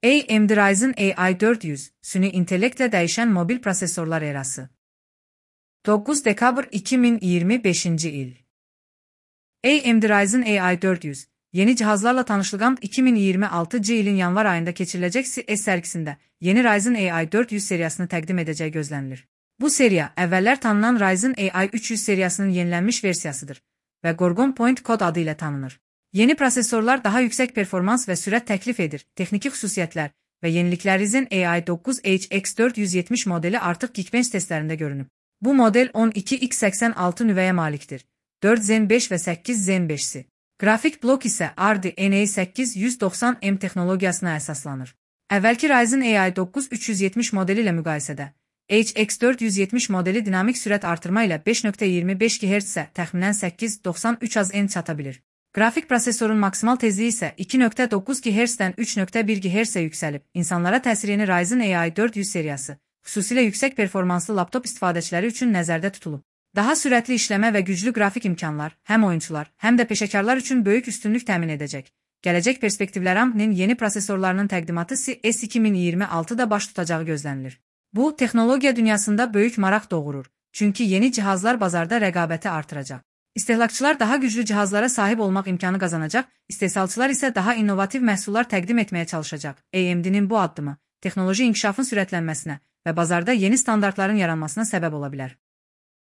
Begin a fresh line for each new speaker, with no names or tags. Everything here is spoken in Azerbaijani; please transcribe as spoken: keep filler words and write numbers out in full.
A M D Ryzen A I dört yüz, süni intellektlə dəyişən mobil prosesorlar erası. dokuz dekabr iki min iyirmi beşinci il. A M D Ryzen A I dört yüz, yeni cihazlarla tanışlığım iki min iyirmi altıncı ilin yanvar ayında keçiriləcək C E S sərgisində yeni Ryzen A I dört yüz seriyasını təqdim edəcəyi gözlənilir. Bu seriya, əvvəllər tanınan Ryzen A I üç yüz seriyasının yenilənmiş versiyasıdır və Gorgon Point kod adı ilə tanınır. Yeni prosesorlar daha yüksək performans və sürət təklif edir. Texniki xüsusiyyətlər və yeniliklər Ryzen A I dokuz H X dörd yüz yetmiş modeli artıq Geekbench testlərində görünüb. Bu model on iki X səksən altı nüvəyə malikdir. dörd Zen beş və səkkiz Zen beşsi. Qrafik blok isə R D N A səkkiz yüz doxsan M texnologiyasına əsaslanır. Əvvəlki Ryzen A I dokuz üç yüz yetmiş modeli ilə müqayisədə H X dörd yüz yetmiş modeli dinamik sürət artırma ilə beş nöqtə iyirmi beş giqahertzə təxminən səkkiz nöqtə doxsan üç az N çata bilir. Qrafik prosesorun maksimal tezliyi isə iki nöqtə doqquz giqahertzdən üç nöqtə bir giqahertzə yüksəlib. İnsanlara təsirini Ryzen A I dörd yüz seriyası, xüsusilə yüksək performanslı laptop istifadəçiləri üçün nəzərdə tutulub. Daha sürətli işləmə və güclü qrafik imkanlar həm oyunçular, həm də peşəkarlar üçün böyük üstünlük təmin edəcək. Gələcək perspektivlər A M D-nin yeni prosesorlarının təqdimatı C E S iki min iyirmi altıda baş tutacağı gözlənilir. Bu, texnologiya dünyasında böyük maraq doğurur, çünki yeni cihazlar bazarda rəqabəti artıracaq. İstehlakçılar daha güclü cihazlara sahib olmaq imkanı qazanacaq, istehsalçılar isə daha innovativ məhsullar təqdim etməyə çalışacaq. A M D-nin bu addımı, texnoloji inkişafın sürətlənməsinə və bazarda yeni standartların yaranmasına səbəb ola bilər.